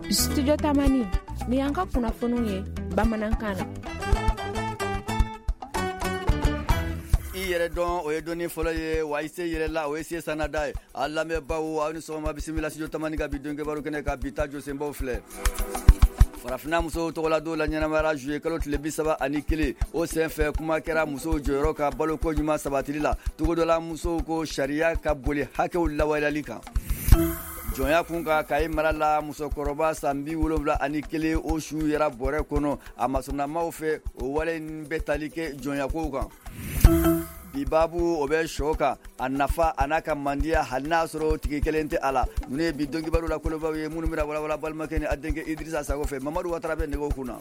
Studio Tamani, ni y'an ka kunnafoniw ye bamanankan na. I yɛrɛ dɔn, o ye dɔnni fɔlɔ ye wa, i se yɛrɛ la, o ye se sanada ye. A lamɛnbaaw, aw ni sɔgɔma, bisimila Studio Tamani ka bi don kibaru kɛnɛ ka bi ta jɔsenbaw filɛ. Farafinna musow tɔgɔladon la ɲɛnamayara juillet kalo tile 31. O senfɛ, kuma kɛra musow jɔyɔrɔ ka baloko ɲuman sabatili la. Togodala musow ko sariya ka boli hakɛw lawaleyali kan. Jɔnya kun kan, Kayi mara la, musokɔrɔba san 71, o su yera bɔrɛ kɔnɔ a masurunamaw fɛ. O wale in bɛ tali kɛ jɔnyakow kan. Bi baabu, o bɛ sɔ kan, a nafa a n'a ka mandiya, hali n'a sɔrɔ tigi kelen tɛ a la. Ninnu ye bi don kibaru la kolobaw ye, minnu bɛna walawala balimakɛ ni a denkɛ Idirisa Sago fɛ. Mamadu Watara bɛ nɛgɛw kunna.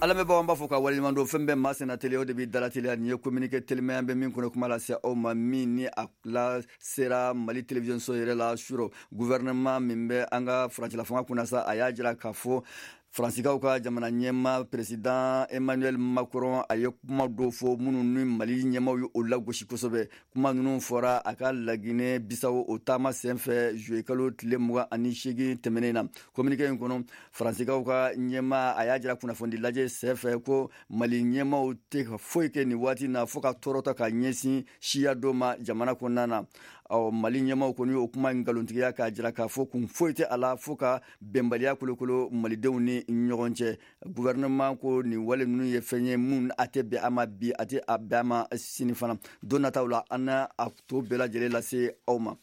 Ala bɛ an b'a fɔ ka waleɲuman don. Fɛn bɛɛ maa senna teliya, o de b'i dala teliya. Nin ye communiqué telimaya bɛ min kɔnɔ, kuma lase aw ma min ni a la sera Mali télévision so yɛrɛ la surɔ. Gouvernement min bɛ an ka furancɛla fanga kunna sa, a y'a jira k'a fɔ Faransikaw ka jamana ɲɛma, président Emmanuel Macron, a ye kuma dɔw fɔ minnu ni Mali ɲɛmaw ye o lagosi kosɛbɛ. Kuma ninnu fɔra a ka Laginɛ Bisawo o taama senfɛ juillet kalo tile 28 tɛmɛnen na. Communiqué in kɔnɔ, Faransikaw ka ɲɛma, a y'a jira kunnafoni lajɛ senfɛ ko Mali ɲɛmaw tɛ ka foyi kɛ nin waati na fo ka tɔɔrɔ ta ka ɲɛsin siya dɔ ma jamana kɔnɔna na. Ɔ, Mali ɲɛmaw kɔni o kuma nkalontigiya k'a jira k'a fɔ kun foyi tɛ a la fo ka bɛnbaliya kolokolo malidenw ni ɲɔgɔn cɛ. Gouvernement ko nin wale ninnu ye fɛn ye mun a tɛ bɛn a ma bi, a tɛ a bɛn a ma sini fana. Don nataw la, an na a to bɛɛ lajɛlen lase aw ma.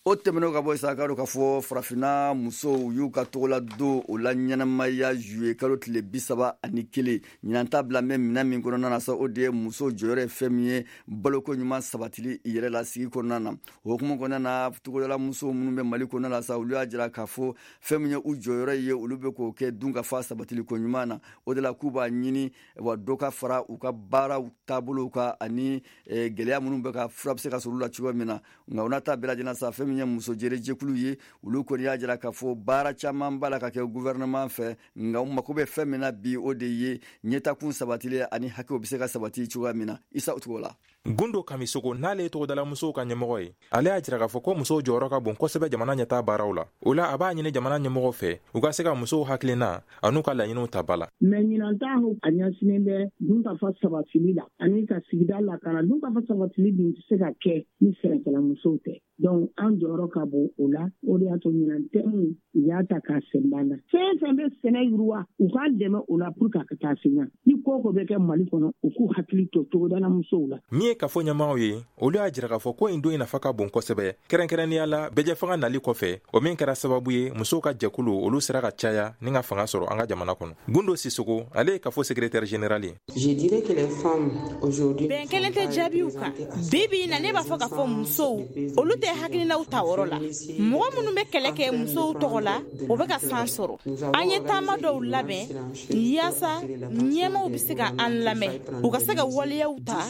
O tɛmɛnen ka bɔ, sa ka k'a fɔ farafinna musow y'u ka tɔgɔla don o la ɲɛnamaya juillet kalo tile 31. Ɲinan ta bila bɛ minɛn min kɔnɔna na sa, o de ye muso jɔyɔrɔ ye fɛn min ye baloko ɲuman sabatili yɛrɛ la sigi kɔnɔna na. O hukumu kɔnɔna na, togodala musow minnu bɛ Mali kɔnɔna la sa, olu y'a jira k'a fɔ fɛn min ye u jɔyɔrɔ ye, olu bɛ k'o kɛ dun ka fa sabatili ko ɲuman na. O de la, k'u b'a ɲini wa dɔ ka fara u ka baaraw taabolow kan ani gɛlɛya minnu bɛ ka fura bɛ se ka sɔrɔ olu la cogo min na. Nka o n'a ta bɛɛ lajɛlen sa, fɛn min ye muso jɛrɛ jɛkulu ye, olu kɔni y'a jira k'a fɔ baara caman b'a la ka kɛ gouvernement fɛ, nka u mako bɛ fɛn min na bi, o de ye ɲɛtakun sabatilen ani hakɛw bɛ se ka sabati cogoya min na. Isa, o cogo la. Gundo Kamisogo, n'ale ye togodala musow ka ɲɛmɔgɔ ye, ale y'a jira k'a fɔ ko musow jɔyɔrɔ ka bon kosɛbɛ jamana ɲɛtaa baaraw la. O la, a b'a ɲini jamana ɲɛmɔgɔw fɛ, u ka se ka musow hakilina an'u ka laɲiniw ta ba la. Mɛ ɲinan ta, a ɲɛsinnen bɛ dunkafa sabatili la ani ka sigida lakana. Dunkafa sabatili dun tɛ se ka kɛ ni sɛnɛkɛla musow tɛ. Donc an jɔyɔrɔ ka bon o la. O de y'a to ɲinan thème, u y'a ta k'a sɛnbɛ na. Fɛn fɛn bɛ sɛnɛ yiriwa, u k'an dɛmɛ o la pour que a ka taa se ɲɛ. Ni ko ko bɛ kɛ Mali kɔnɔ, u k'u hakili to togodala musow la. Min ye kafo ɲɛmaaw ye, olu y'a jira k'a fɔ ko nin don in nafa ka bon kosɛbɛ, kɛrɛnkɛrɛnnenya la bɛɛjɛfanga nali kɔfɛ, o min kɛra sababu ye musow ka jɛkulu, olu sera ka caya ni ka fanga sɔrɔ an ka jamana kɔnɔ. Gundo Sisogo, ale ye kafo secrétaire général ye. Bɛn kelen tɛ jaabiw kan. Bi bi na, ne b'a fɔ k'a fɔ musow, olu tɛ hakilinaw ta yɔrɔ la. Mɔgɔ minnu bɛ kɛlɛ kɛ musow tɔgɔ la, o bɛ ka san sɔrɔ. An ye taama dɔw labɛn yaasa ɲɛmaw bɛ se ka an lamɛn, u ka se ka waleyaw ta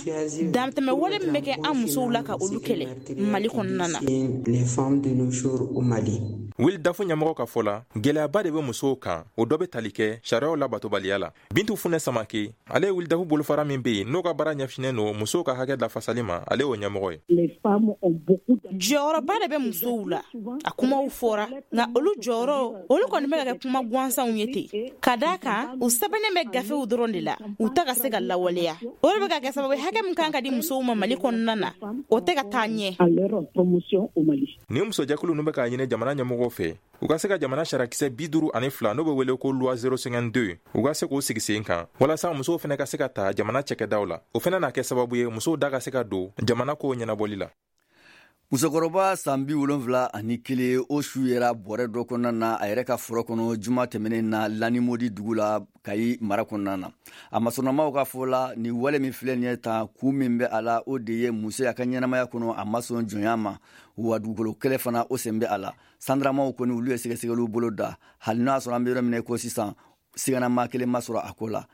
dantɛmɛ wale min bɛ kɛ an musow la, ka olu kɛlɛ Mali kɔnɔna na. WILDAF ɲɛmɔgɔ ka fɔ la, gwɛlɛyaba de bɛ musow kan, o dɔ bɛ tali kɛ sariyaw labatobaliya la. Bintu Funɛ Samake, ale ye WILDAF bolofara min be yen n'o ka baara ɲɛsinen don musow ka hakɛ lafasali ma, ale y'o ɲɛmɔgɔ ye. Jɔyɔrɔba de bɛ musow la. A kumaw fɔra, nka olu jɔyɔrɔ, olu kɔni bɛ ka kɛ kuma gansanw ye ten, ka daa kan u sɛbɛnnen bɛ gafew dɔrɔn de la, u ta ka se ka lawaleya. O de bɛ ka kɛ sababu hakɛ min kan ka di musow ma Mali kɔnɔna na, o tɛ ka taa ɲɛ. Nin musojɛkulu ninnu bɛ k'a ɲini jamana ɲɛmɔgɔw fɛ, u ka se ka jamana sariyakisɛ 52, n'o bɛ wele ko loi 052, u ka se k'o sigi sen kan walasa musow fɛnɛ ka se ka ta jamana cɛkɛdaw la. O fɛnɛ n'a kɛ sababu ye musow da ka se ka don jamana kow ɲɛnabɔli la. Musokɔrɔba san 71, o su yera bɔrɛ dɔ kɔnɔna na a yɛrɛ ka foro kɔnɔ juma tɛmɛnen na, Lanimodi dugu la, Kayi mara kɔnɔna na. A masɔrɔnamaw ka fɔ la, nin wale min filɛ nin ye tan, kun min bɛ a la, o de ye muso y'a ka ɲɛnamaya kɔnɔ, a ma sɔn jɔnya ma, wa dugukolo kɛlɛ fana, o sen bɛ a la. Sandaramaw kɔni, olu ye sɛgɛsɛgɛliw bolo da. Hali n'a sɔrɔ an bɛ yɔrɔ min na ko sisan, siganama kelen ma sɔrɔ a ko la.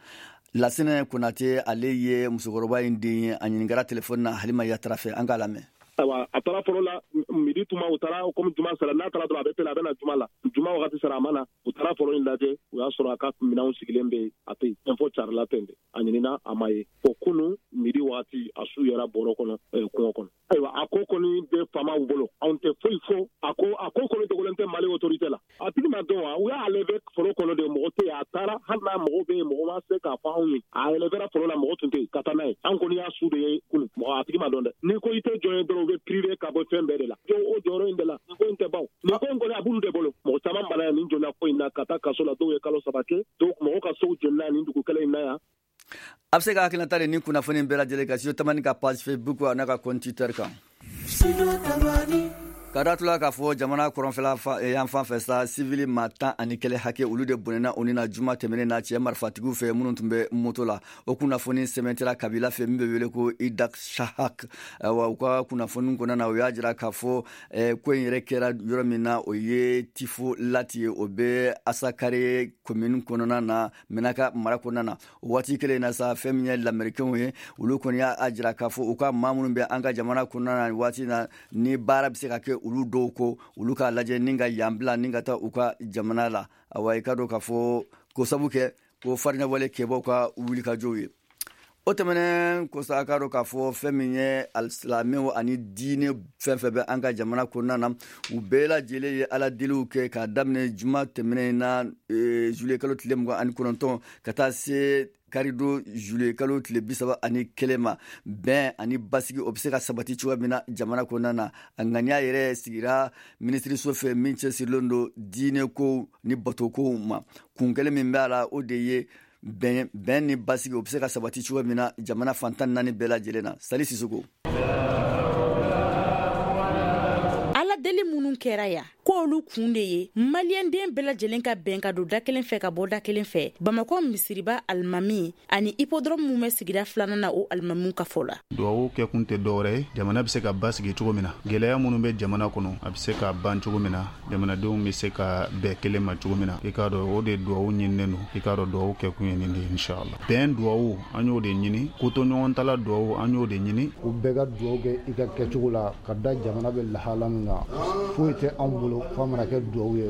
Lasinɛ Konate, ale ye musokɔrɔba in den ye. A ɲininkara telefɔni na Halima Yatara fɛ. An k'a lamɛn. Ayiwa, a taara foro la midi tuma. U taara komi juma sera, n'a taara dɔrɔn a bɛ pele, a bɛ na juma la. Juma wagati sera, a ma na. U taara foro in lajɛ, u y'a sɔrɔ a ka minɛnw sigilen bɛ yen, a tɛ yen. Info carila ten de, a ɲinina, a ma ye, fo kunu midi wagati. wagati a su yɛrɛ bɔrɔ kɔnɔ kungo kɔnɔ. Ayiwa, a ko kɔni bɛ faamaw bolo, anw tɛ foyi fɔ. A ko kɔni dogolen tɛ Mali autorité la. A tigi ma dɔn wa, u y'a enlevé foro kɔnɔ de, mɔgɔ tɛ yen. A taara, hali n'a mɔgɔ bɛ yen, mɔgɔ ma se k'a fɔ anw ye. A enlevé foro la, mɔgɔ tun tɛ yen ka taa n'a ye. An kɔni y'a su de ye kunun, mɔgɔ a tigi ma dɔn dɛ. N'i ko i tɛ jɔn ye dɔrɔn, u bɛ privé ka bɔ fɛn bɛɛ de la. O jɔyɔrɔ in de la, nin ko in tɛ ban. Nin ko in kɔni a b'olu de bolo. Mɔgɔ caman bana yan nin jɔnya ko in na ka taa kaso la, dɔw ye kalo 3 kɛ, dɔw mɔgɔ ka sow jenina nin dugu kelen in na yan. A bɛ se ka hakilinata de ni kunnafoni bɛɛ lajɛlen kan Studio Tamani ka page Facebook a n'a ka compte Twitter kan. Ka datula k'a fɔ jamana kɔrɔnfɛla yan fan fɛ sa, sivili maa 11 hakɛ, olu de bɔnɛna u ni na juma tɛmɛnen na cɛ marifatigiw fɛ minnu tun bɛ moto la. O kunnafoni sɛmɛntira kabila fɛ min bɛ wele ko Idak Shahak. Ayiwa, u ka kunnafoni kɔnɔna na, u y'a jira k'a fɔ ko in yɛrɛ kɛra yɔrɔ min na, o ye Tifo Lati ye, o bɛ Asakare commune kɔnɔna na, Menaka mara kɔnɔna na. O waati kelen na sa, fɛn min ye lamɛrikɛnw ye, olu kɔni y'a jira k'a fɔ u ka maa minnu bɛ an ka jamana kɔnɔna na waati na, ni baara bɛ se ka kɛ olu dɔw ko, olu k'a lajɛ ni ka yan bila ni ka taa u ka jamana la. Awa, i ka dɔn k'a fɔ ko sabu kɛ ko farinyawale kɛbaw ka wulikajɔw ye. O tɛmɛnen ko sa, a ka dɔn k'a fɔ fɛn min ye alisilamɛw ani diinɛ fɛn fɛn bɛ an ka jamana kɔnɔna na, u bɛɛ lajɛlen ye ala deliw kɛ k'a daminɛ juma tɛmɛnen na, juillet kalo tile 29, ka taa se karidon juillet kalo tile 31 ma. Bɛn ani basigi, o bɛ se ka sabati cogoya min na jamana kɔnɔna na. A ŋaniya yɛrɛ sigira minisiriso fɛ min cɛsirilen don diinɛ kow ni batokow ma. Kun kelen min b'a la, o de ye bɛn ni basigi, o bɛ se ka sabati cogo min na jamana fan 14 bɛɛ lajɛlen na. Sali Sisoko. Ala deli minnu kɛra yan, k'olu kun de ye maliyɛnden bɛɛ lajɛlen ka bɛn ka don da kelen fɛ ka bɔ da kelen fɛ. Bamakɔ misiriba alimami ani hippodrome mun bɛ sigida filanan na, o alimamiw ka fɔ la, duwawu kɛkun tɛ dɔwɛrɛ ye, jamana bɛ se ka basigi cogo min na, gɛlɛya minnu bɛ jamana kɔnɔ, a bɛ se ka ban cogo min na, jamanadenw bɛ se ka bɛn kelen ma cogo min na. I k'a dɔn, o de duwawu ɲininen don. I k'a dɔn, duwawu kɛkun ye nin de ye, inshallah. Bɛn duwawu, an y'o de ɲini. Kotoɲɔgɔntala duwawu, an y'o de ɲini. U bɛɛ ka duwawu kɛ i ka kɛcogo la ka da jamana bɛ lahala min kan. Foyi tɛ anw bolo f'a mana kɛ duwawu ye.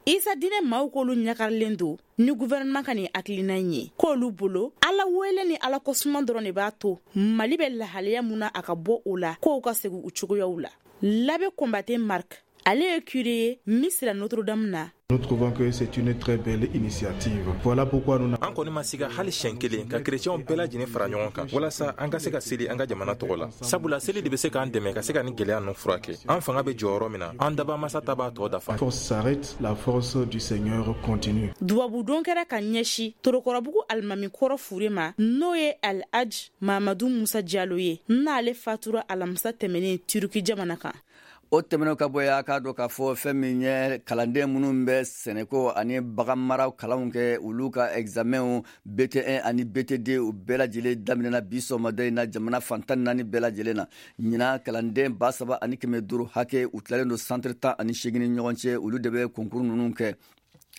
Isa diinɛ maaw k'olu ɲagarilen don ni gouvernement ka nin hakilina in ye, k'olu bolo ala wele ni ala kɔsuman dɔrɔn de b'a to Mali bɛ lahalaya mun na, a ka bɔ o la, k'o ka segin u cogoyaw la. L'abbé Combaté Marc, ale ye curé ye Misira Notre Dame na. Nous trouvons que c'est une très belle initiative. Voilà pourquoi nous An kɔni ma siga hali siɲɛ kelen ka kerecɛnw bɛɛ lajɛlen fara ɲɔgɔn kan walasa an ka se ka seli an ka jamana tɔgɔ la, sabula seli de bɛ se k'an dɛmɛ ka se ka ni gwɛlɛya ninnu furakɛ. An fanga bɛ jɔyɔrɔ min na, an daba masa ta b'a tɔ dafa. Force s'arrête, la force du Seigneur continue. Dubabudon kɛra ka ɲɛsi Torokɔrɔbugu alimami kɔrɔ fure ma, n'o ye Alhaj Mamadu Musa Jalo ye, n'ale fatura alamisa tɛmɛnen Turuki jamana kan. O tɛmɛnen ka bɔ yen, a k'a dɔn k'a fɔ fɛn min ye kalanden minnu bɛ sɛnɛko ani baganmara kalanw kɛ, olu ka examenw BT1 ani BT2, u bɛɛ lajɛlen daminɛna bi sɔgɔmada in na jamana fan 14 bɛɛ lajɛlen na. Ɲinan, kalanden 3500 hakɛ, u tilalen don centre 18 ni ɲɔgɔn cɛ, olu de bɛ concours ninnu kɛ,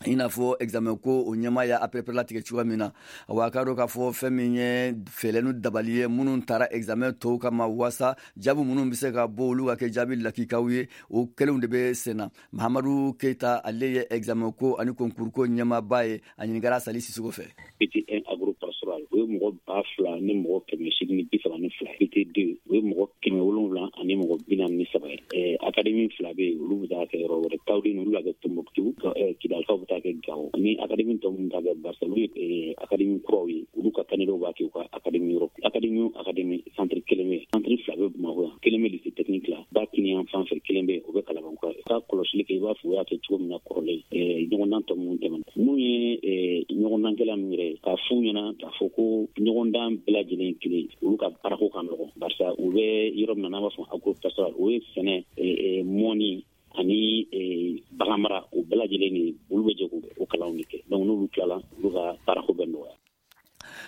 i n'a fɔ examen ko o ɲɛmaa y'a pɛrɛpɛrɛlatigɛ cogoya min na. Wa a k'a dɔn k'a fɔ fɛn min ye fɛɛrɛ ni dabali ye minnu taara examen tɔw kama, waasa jaabi minnu bɛ se ka bɔ, olu ka kɛ jaabi lakikaw ye, o kelenw de bɛ sen na. Mahamadu Keyita, ale ye examen ko ani concours ko ɲɛmaaba ye. A ɲininkara Sali Sisoko fɛ. BT1 agro pastoral, o ye mɔgɔ 2832 ye. BT2, o ye mɔgɔ 743 ye. Académie fila bɛ yen, olu bɛ taa kɛ yɔrɔ wɛrɛ. Tawudeni, olu b'a kɛ Tombouctou, Kidalikaw bɛ taa kɛ Gao. Ni académie tɔ minnu ta kɛ Barisa, olu ye académie kuraw ye, olu ka candidat b'a kɛ u ka académie yɔrɔ. Académie o académie, centre kelen bɛ yen. Centre fila bɛ Bamakɔ yan, kelen bɛ lycée technique la, ba kini fan fɛ, kelen bɛ yen, o bɛ Kalabankura. Ka kɔlɔsili kɛ, i b'a fɔ u y'a kɛ cogo min na kɔrɔlen, ɲɔgɔndan tɔ minnu tɛmɛna, mun ye ɲɔgɔndankɛla ninnu yɛrɛ ye, k'a f'u ɲɛna k'a fɔ ko ɲɔgɔndan bɛɛ lajɛlen kelen, olu ka baarako ka nɔgɔn, barisa u bɛ yɔrɔ min na, n'an b'a fɔ agro pastoral, o ye sɛnɛ, mɔni ani baganmara, o bɛɛ lajɛlen de, olu bɛ jɛ k'o kalanw de kɛ. Donc n'olu tilala, olu ka baarako bɛ nɔgɔya.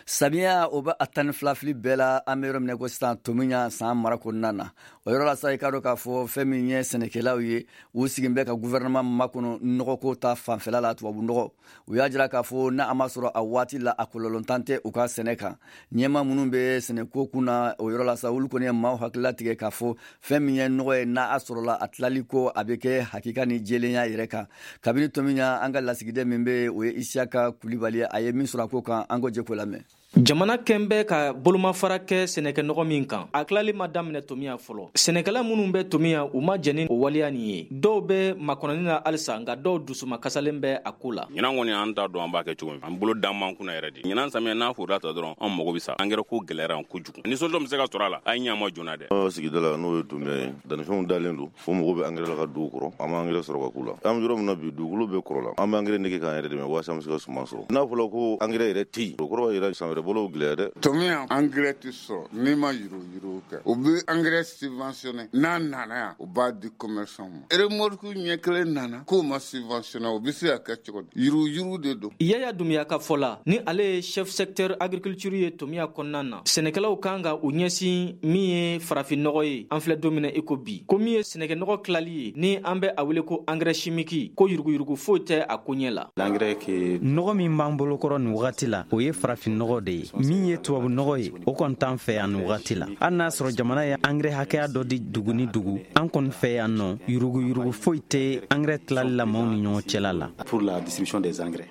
Samiya, o bɛ a 12 fili bɛɛ la. An bɛ yɔrɔ min ko sisan, tomiya san mara kɔnɔna na, o yɔrɔ la sa, i k'a dɔn k'a fɔ fɛn min ye sɛnɛkɛlaw ye, u sigin bɛ ka gouvernement makɔnɔ nɔgɔko ta fanfɛla la, tubabu nɔgɔ. U y'a jira k'a fɔ n'a a ma sɔrɔ a waati la, a kɔlɔlɔntan tɛ u ka sɛnɛ kan. Ɲɛma minnu bɛ sɛnɛko kun na o yɔrɔ la sa, olu kɔni ye maaw hakilila tigɛ k'a fɔ fɛn min ye nɔgɔ ye, n'a a sɔrɔla, a tilali ko a bɛ kɛ hakika ni jɛlenya yɛrɛ kan. Kabini tomiya, an ka lasigiden min bɛ, o ye Isiyaka Kulibali, a ye min sɔrɔ a ko kan, an ko jɛ k'o lamɛn. Jamana kɛn bɛ ka bolomafara kɛ sɛnɛkɛnɔgɔ min kan, a tilali ma daminɛ Tomiya fɔlɔ. Sɛnɛkɛla minnu bɛ Tomiya, u ma jɛn ni o waleya nin ye. Dɔw bɛ makɔnɔni na halisa, nka dɔw dusuma kasalen bɛ a ko la. Ɲinan kɔni, an t'a dɔn an b'a kɛ cogo min. An bolo dan man kunna yɛrɛ de. Ɲinan samiya n'a foroda ta dɔrɔn, an mago bɛ sa. Angɛrɛ ko gɛlɛyara kojugu. Ni solution bɛ se ka sɔrɔ a la, a ye ɲɛ ma joona dɛ. Sigida la, n'o ye Tomiya ye, dannifɛnw dalen don fo mɔgɔw bɛ angɛrɛ la ka dugu kɔrɔ. An bɛ angɛrɛ sɔrɔ ka k'u la. An bɛ yɔrɔ min na bi, dugukolo bɛɛ kɔrɔ la. An bɛ angɛrɛ nege k'an yɛrɛ dɛmɛ walasa an bɛ se ka suman sɔrɔ. N'a fɔra ko angɛrɛ yɛrɛ tɛ yen, o kɔrɔ b'a jira san wɛrɛ bolo gɛlɛya dɛ. Tomiya, angɛrɛ tɛ sɔrɔ n'i ma yuruguyurugu kɛ. U bɛ angɛrɛ subventionné, n'a nana yan, u b'a di commerçant ma. Remorque ɲɛ kelen nana k'o ma subventionné, o bɛ se ka kɛ cogo di? Yuruguyurugu de don. Yaya Dumiya ka fɔ la, ni ale ye chef secteur agriculture ye Tomiya kɔnɔna na, sɛnɛkɛlaw kan ka u ɲɛsin min ye farafinnɔgɔ ye. An filɛ don min na i ko bi, ko min ye sɛnɛkɛnɔgɔ tilali ye, ni an bɛ a wele ko engrais chimique, ko yuruguyurugu foyi tɛ a koɲɛ la. Nɔgɔ min b'an bolokɔrɔ nin wagati la, o ye farafinnɔgɔ de ye. Min ye tubabu nɔgɔ ye, o kɔni t'an fɛ yan nin wagati la. Hali n'a sɔrɔ jamana ye angɛrɛ hakɛya dɔ di dugu ni dugu, an kɔni fɛ yan nɔ, yuruguyurugu foyi tɛ angɛrɛ tilali la maaw ni ɲɔgɔn cɛla la.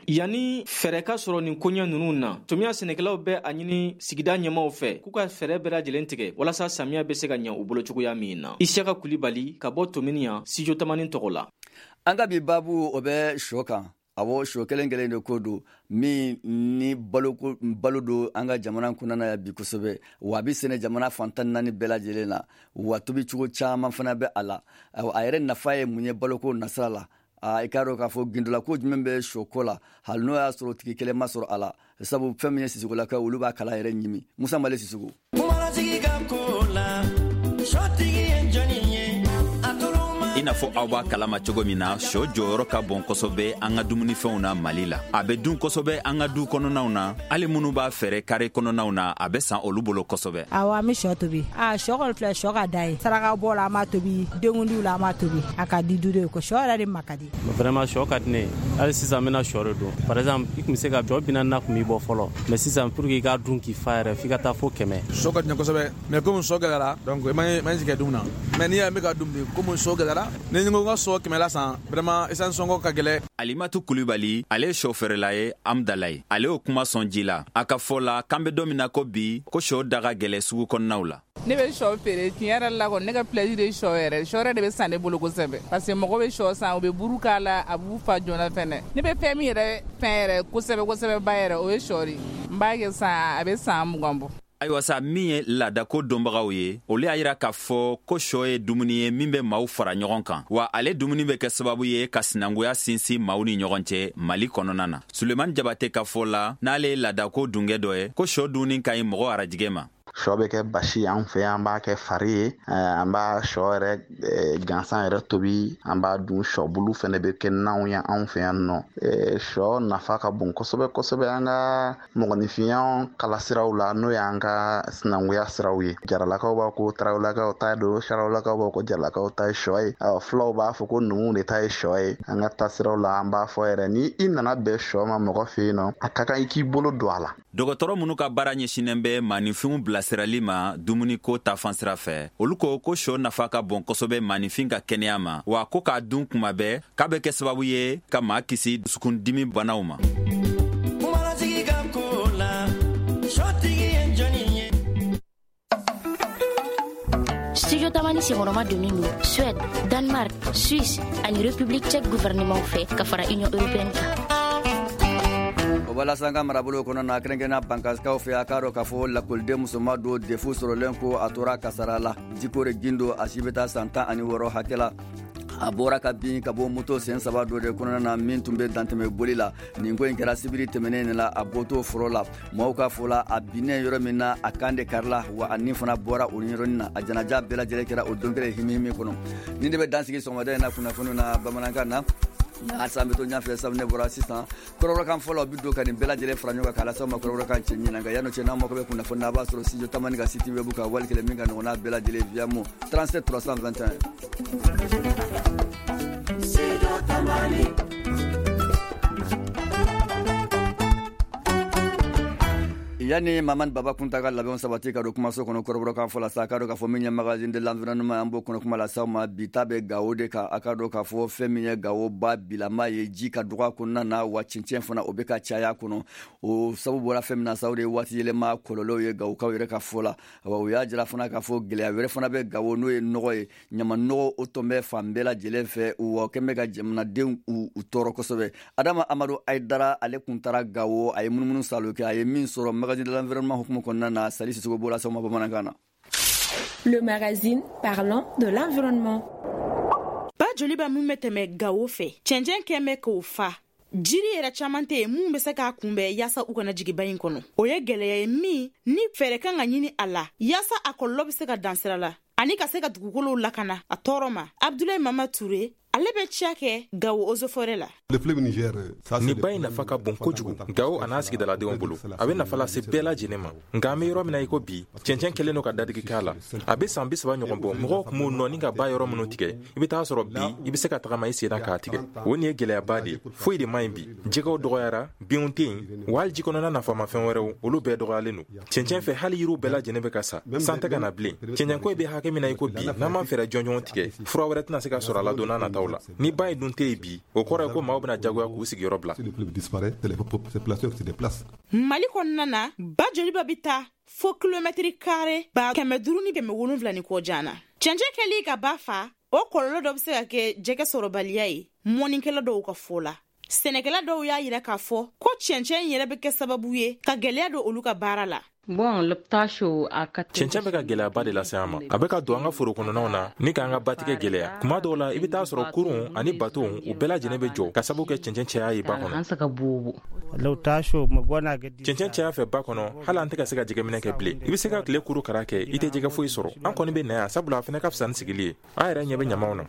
Yanni fɛɛrɛ ka sɔrɔ nin koɲɛ ninnu na, Tomiya sɛnɛkɛlaw bɛ a ɲini sigida ɲɛmaw fɛ k'u ka fɛɛrɛ bɛɛ lajɛlen tigɛ walasa samiya bɛ se ka ɲɛ u bolo cogoya min na. Isiyaka Kulibali ka bɔ Tominiya, Studio Tamani tɔgɔ la. An ka bi baabu, o bɛ sɔ kan. Awɔ, sɔ kelen kelen de ko don min ni balo don an ka jamana kɔnɔna yan bi kosɛbɛ. Wa a bɛ sɛnɛ jamana fan 14 bɛɛ lajɛlen na, wa tobi cogo caman fana bɛ a la. A yɛrɛ nafa ye mun ye baloko nasira la? I k'a dɔn k'a fɔ gindola ko jumɛn bɛ sɔ ko la, hali n'o y'a sɔrɔ tigi kelen ma sɔrɔ a la, sabu fɛn min ye Sisugolakaw, olu b'a kala yɛrɛ ɲimi. Musa Male Sisugo. Ko la sɔtigi ye jɔnni ye? I n'a fɔ aw b'a kalama cogo min na, sɔ jɔyɔrɔ ka bon kosɛbɛ an ka dumunifɛnw na Mali la. A bɛ dun kosɛbɛ an ka du kɔnɔnaw na. Hali minnu b'a fɛɛrɛ kare kɔnɔnaw na, a bɛ san olu bolo kosɛbɛ. Awɔ, an bɛ sɔ tobi. A sɔ kɔni filɛ, sɔ ka da ye. Saraka bɔ la, an b'a tobi. Denkundiw la, an b'a tobi. A ka di du de ko sɔ yɛrɛ de ma ka di. Vraiment, sɔ ka di ne ye. Hali sisan, n bɛna sɔ de dun. Par exemple, i tun bɛ se ka sɔ 40 na tun b'i bɔ fɔlɔ, mais sisan, pour que i k'a dun k'i fa yɛrɛ, f'i ka taa fo 100. Sɔ ka di n ye kosɛbɛ, mais komi sɔ gɛlɛyara, donc i ma sigi dun na. Mais n'i y'a ye n bɛ ka dun bi, komi sɔ gɛlɛyara, ni n ko n ka sɔ 100 la san, vraiment essence sɔngɔ ka gɛlɛ. Alimatu Kulibali, ale ye sɔ feerela ye Amdalaye. Ale y'o kuma sɔn ji la. A ka fɔ la, k'an bɛ don min na ko bi, ko sɔ da ka gɛlɛ sugu kɔnɔnaw la. Ne bɛ sɔ feere. Tiɲɛ yɛrɛ la kɔni, ne ka plaisir ye sɔ yɛrɛ. Sɔ yɛrɛ de bɛ san ne bolo kosɛbɛ, parce que mɔgɔ bɛ sɔ san, u bɛ buru k'a la, a b'u fa joona fɛnɛ. Ne bɛ fɛn min yɛrɛ fɛn yɛrɛ kosɛbɛ kosɛbɛ ba yɛrɛ, o ye sɔ de. N b'a kɛ san, a bɛ san 20 bɔ. Ayiwa sa, min ye laadako dɔnbagaw ye, olu y'a yira k'a fɔ ko sɔ ye dumuni ye min bɛ maaw fara ɲɔgɔn kan, wa ale dumuni bɛ kɛ sababu ye ka sinankuya sinsin maaw ni ɲɔgɔn cɛ Mali kɔnɔna na. Sulemani Jabate ka fɔ la, n'ale ye laadako dungɛ dɔ ye, ko sɔ dunni ka ɲi mɔgɔ arajigɛ ma. Sɔ bɛ kɛ basi an fɛ yan, an b'a kɛ fari ye, an b'a sɔ yɛrɛ gansan yɛrɛ tobi, an b'a dun. Sɔbulu fɛnɛ bɛ kɛ nanw ye anw fɛ yan nɔ. Sɔ nafa ka bon kosɛbɛ kosɛbɛ an ka mɔgɔninfinya kalasiraw la, n'o y'an ka sinankunya siraw ye. Jaralakaw b'a ko tarawelakaw ta don, sarawelakaw b'a ko jaralakaw ta ye sɔ ye, fulaw b'a fɔ ko numuw de ta ye sɔ ye. An ka taasiraw la, an b'a fɔ yɛrɛ, ni i nana bɛn sɔ ma mɔgɔ fɛ yen nɔ, a ka kan i k'i bolo don a la. Dɔgɔtɔrɔ minnu ka baara ɲɛsinnen bɛ maaninfinw bilasirali ma dumuniko ta fan sira fɛ, olu ko ko sɔ nafa ka bon kosɛbɛ maaninfin ka kɛnɛya ma, wa ko k'a dun kuma bɛɛ, k'a bɛ kɛ sababu ye ka maa kisi dusukundimi banaw ma. Ko la sɔtigi ye jɔnni ye? Studio Tamani senkɔrɔma donnen don Suède, Danemark, Suisse ani République tchèque gouvernement fɛ ka fara Union européenne kan. O b'a lase an ka marabolo kɔnɔ na, kɛrɛnkɛrɛnna Bankasikaw fɛ. A k'a dɔn k'a fɔ lakɔliden musoman don, DEF sɔrɔlen ko a tora kasara la. Jikore Gindo, a si bɛ taa san 16 hakɛ la, a bɔra ka bin ka bɔ moto sen saba dɔ de kɔnɔna na min tun bɛ dantɛmɛ boli la. Nin ko in kɛra sibiri tɛmɛnen de la, a bɔtɔ foro la. Maaw ka fɔ la, a binnen yɔrɔ min na, a kan de karila, wa a nin fana bɔra o yɔrɔnin na. A janaja bɛɛ lajɛlen kɛra o don kelen himihimi kɔnɔ. Nin de bɛ dansigi sɔgɔmada in na kunnafoniw na bamanankan na. Halisa an bɛ to ɲɛfɛ, sabu ne bɔra sisan kɔrɔbɔrɔkan fɔlɔ bi don ka nin bɛɛ lajɛlen fara ɲɔgɔn kan k'a lase aw ma kɔrɔbɔrɔkan cɛ ɲinan. Nka yan'o cɛ, n'aw mako bɛ kunnafoni na, a b'a sɔrɔ Studio Tamani ka site web kan, wali kelen min ka nɔgɔn n'a bɛɛ lajɛlen, Viamo 37 321. Studio Tamani. Yanni Mamani Baba Kunta ka labɛnw sabati ka don kumaso kɔnɔ kɔrɔbɔrɔkan fɔ la sa, a ka dɔn k'a fɔ min ye Magazine de l'environnement, an b'o kɔnɔ kuma lase aw ma. Bi ta bɛ Gawo de kan. A ka dɔn k'a fɔ fɛn min ye Gawo ba bilama ye, ji ka dɔgɔ a kɔnɔna na, wa cɛncɛn fana o bɛ ka caya a kɔnɔ. O sababu bɔra fɛn min na sa, o de ye waati yɛlɛma kɔlɔlɔw ye Gawokaw yɛrɛ ka fɔ la. Wa o y'a jira fana k'a fɔ gɛlɛya wɛrɛ fana bɛ Gawo, n'o ye nɔgɔ ye. Ɲama nɔgɔ o tɔn bɛ fan bɛɛ lajɛlen fɛ, wa o kɛn bɛ ka jamanadenw u tɔɔrɔ kosɛbɛ. Adama Amadu Ayidara, ale kun taara Gawo, a ye munumunu salo kɛ, a ye min sɔrɔ Magazine de l'environnement hukumu kɔnɔna na, Sali Sisoko b'o lase aw ma bamanankan na. Le magazine parlant de l'environnement. Ba Joliba min bɛ tɛmɛ Gawo fɛ, cɛncɛn kɛn bɛ k'o fa. Jiri yɛrɛ caman tɛ yen mun bɛ se k'a kunbɛn yaasa u kana jigin ba in kɔnɔ. O ye gɛlɛya ye min ni fɛɛrɛ kan ka ɲini a la yaasa a kɔlɔlɔ bɛ se ka dan sira la ani ka se ka dugukolow lakana a tɔɔrɔ ma. Abdulayi Mama Ture, ale bɛ ciya kɛ Gawo Eaux et Forêts la. Nin ba in nafa ka bon kojugu Gawo a n'a sigidaladenw bolo. A bɛ nafa lase bɛɛ lajɛlen ma, nka an bɛ yɔrɔ min na i ko bi, cɛncɛn kɛlen don ka dadigi k'a la. A bɛ san 30 ɲɔgɔn bɔ, mɔgɔw tun b'u nɔ ni ka ba yɔrɔ minnu tigɛ, i bɛ taa sɔrɔ bi i bɛ se ka tagama i sen na k'a tigɛ. O nin ye gɛlɛyaba de ye. Foyi de man ɲi bi. Jɛgɛw dɔgɔyara, binw tɛ yen, wa hali ji kɔnɔna nafamafɛn wɛrɛw, olu bɛɛ dɔgɔyalen don cɛncɛn fɛ. Hali yiriw bɛɛ lajɛlen bɛ ka sa, san tɛ ka na bilen. Cɛncɛnko bɛ hakɛ min na i ko bi, n'an ma fɛɛrɛ jɔnjɔn tigɛ, fura wɛrɛ tɛna se ka sɔrɔ a la don n'a nataw la. Ni ba in dun tɛ yen bi, o kɔrɔ ye ko maaw bɛna jagoya k'u sigiyɔrɔ bila. Mali kɔnɔna na, ba Joliba bɛ taa fo kilomɛtiri kare 507 ni kɔ jan na. Cɛncɛn kɛli ka ba fa, o kɔlɔlɔ dɔ bɛ se ka kɛ jɛgɛ sɔrɔbaliya ye mɔnikɛla dɔw ka fɔ la. Sɛnɛkɛla dɔw y'a yira k'a fɔ ko cɛncɛn yɛrɛ bɛ kɛ sababu ye ka gɛlɛya don olu ka baara la. Cɛncɛn bɛ ka gɛlɛyaba de lase an ma. A bɛ ka don an ka foro kɔnɔnaw na ni k'an ka batigɛ gɛlɛya. Kuma dɔw la, i bɛ taa sɔrɔ kurun ani baton, u bɛɛ lajɛlen bɛ jɔ ka sababu kɛ cɛncɛn caya ye ba kɔnɔ. Cɛncɛn caya fɛ ba kɔnɔ, hali an tɛ ka se ka jɛgɛminɛ kɛ bilen. I bɛ se ka tile kuru kara kɛ, i tɛ jɛgɛ foyi sɔrɔ. An kɔni bɛ na yan sabula a fana ka fisa ni sigili ye. An yɛrɛ ɲɛ bɛ ɲamaw na.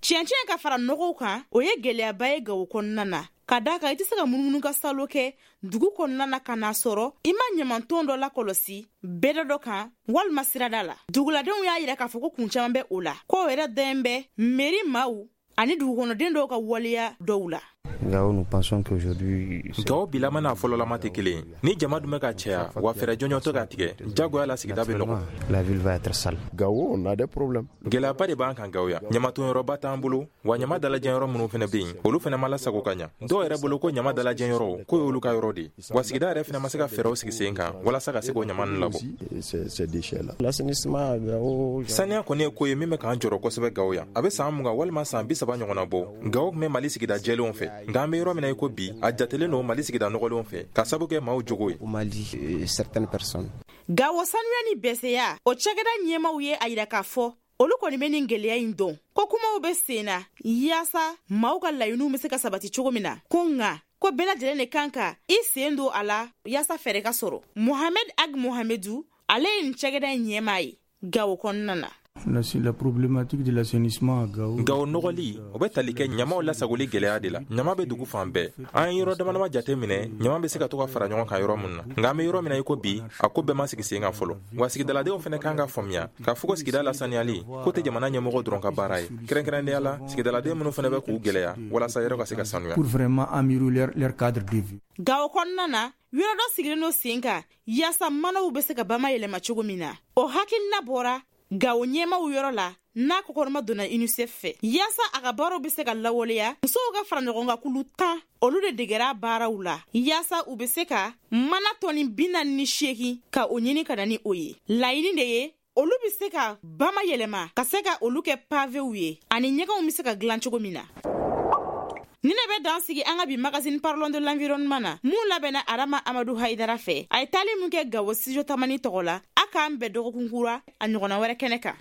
Cɛncɛn ka fara nɔgɔw kan, o ye gɛlɛyaba ye Gawo kɔnɔna na, ka d'a kan i tɛ se ka munumunu ka salo kɛ dugu kɔnɔna na ka n'a sɔrɔ i ma ɲamanton dɔ lakɔlɔsi bɛda dɔ kan walima sirada la. Duguladenw y'a yira k'a fɔ ko kun caman bɛ o la, k'o yɛrɛ dɛn bɛ meri maaw ani dugukɔnɔden dɔw ka waleya dɔw la. Gawo bilama n'a fɔlɔlama tɛ kelen ye. Ni jama dun bɛ ka caya, wa fɛɛrɛ jɔnjɔn tɛ ka tigɛ, jagoya la sigida bɛ nɔgɔ. Gɛlɛyaba de b'an kan Gawo yan. Ɲamatonyɔrɔba t'an bolo, wa ɲama dalajɛyɔrɔ minnu fana bɛ yen, olu fana ma lasago ka ɲa. Dɔw yɛrɛ bolo ko ɲama dalajɛyɔrɔ k'o y'olu ka yɔrɔ de ye, wa sigida yɛrɛ fana ma se ka fɛɛrɛw sigi sen kan walasa ka se k'o ɲama ninnu labɔ. Saniya kɔni ye ko ye min bɛ k'an jɔrɔ kosɛbɛ Gawo yan. A bɛ san 20 walima san 30 ɲɔgɔnna bɔ, Gawo tun bɛ Mali sigida jɛlenw fɛ, nka an bɛ yɔrɔ min na i ko bi, a jatelen don Mali sigida nɔgɔlenw fɛ ka sabu kɛ maaw jogo ye. Gawo sanuya ni bɛsɛya o cakɛda ɲɛmaw ye a yira k'a fɔ olu kɔni bɛ nin gɛlɛya in dɔn, ko kumaw bɛ sen na yaasa maaw ka laɲiniw bɛ se ka sabati cogo min na, ko nka ko bɛɛ lajɛlen de kan ka i sen don a la yaasa fɛɛrɛ ka sɔrɔ. Mohamed Ag Mohamedu, ale ye nin cakɛda in ɲɛmaa ye Gawo kɔnɔna na. La problématique de l'assainissement à Gao. Gao nɔgɔli, o bɛ tali kɛ ɲamaw lasagoli gɛlɛya de la. Ɲama bɛ dugu fan bɛɛ. An ye yɔrɔ damadama jate minɛ, ɲama bɛ se ka to ka fara ɲɔgɔn kan yɔrɔ minnu na. Nka an bɛ yɔrɔ min na i ko bi, a ko bɛɛ ma sigi sen kan fɔlɔ. Wa sigidaladenw fana kan ka faamuya k'a fɔ ko sigida lasaniyali ko tɛ jamana ɲɛmɔgɔ dɔrɔn ka baara ye. Kɛrɛnkɛrɛnnenya la, sigidaladen minnu fana bɛ k'u gɛlɛya walasa yɔrɔ ka se ka sanuya. Pour vraiment améliorer leur cadre de vie. Gawo kɔnɔna na, yɔrɔ dɔ sigilen don sen kan yaasa manaw bɛ se ka bama yɛlɛma cogo min na. O hakilina bɔra Gawo ɲɛmaw yɔrɔ la n'a kɔkɔrɔma donna UNICEF fɛ yaasa a ka baaraw bɛ se ka lawaleya. Musow ka fara ɲɔgɔn kan kulu 10, olu de degera baaraw la yaasa u bɛ se ka mana tɔni 48 ka o ɲini ka na ni o ye. Laɲini de ye olu bɛ se ka bama yɛlɛma ka se ka olu kɛ pavew ye ani ɲɛgɛnw bɛ se ka dilan cogo min na. Ni ne bɛ dan sigi an ka bi Magazine parlons de l'environnement na, mun labɛnna Arama Amadu Hayidara fɛ. A ye taali mun kɛ Gawo Studio Tamani tɔgɔ la. A k'an bɛn dɔgɔkun kura a ɲɔgɔnna wɛrɛ kɛnɛ kan.